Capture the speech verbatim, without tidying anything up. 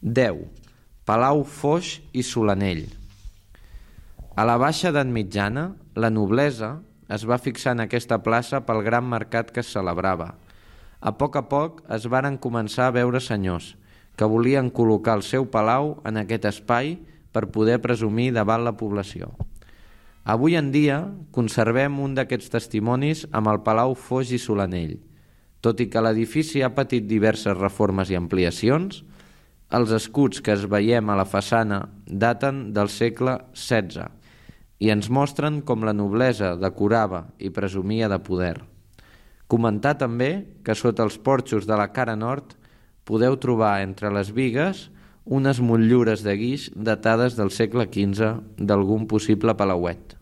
deu. Palau Foix i Solanell. A la baixa edat mitjana, la noblesa es va fixar en aquesta plaça pel gran mercat que es celebrava. A poc a poc es varen començar a veure senyors que volien col·locar el seu palau en aquest espai per poder presumir davant la població. Avui en dia conservem un d'aquests testimonis amb el Palau Foix i Solanell. Tot i que l'edifici ha patit diverses reformes i ampliacions, els escuts que es veiem a la façana daten del segle setze i ens mostren com la noblesa decorava i presumia de poder. Comentar també que sota els porxos de la cara nord podeu trobar entre les bigues unes motllures de guix datades del segle quinze d'algun possible palauet.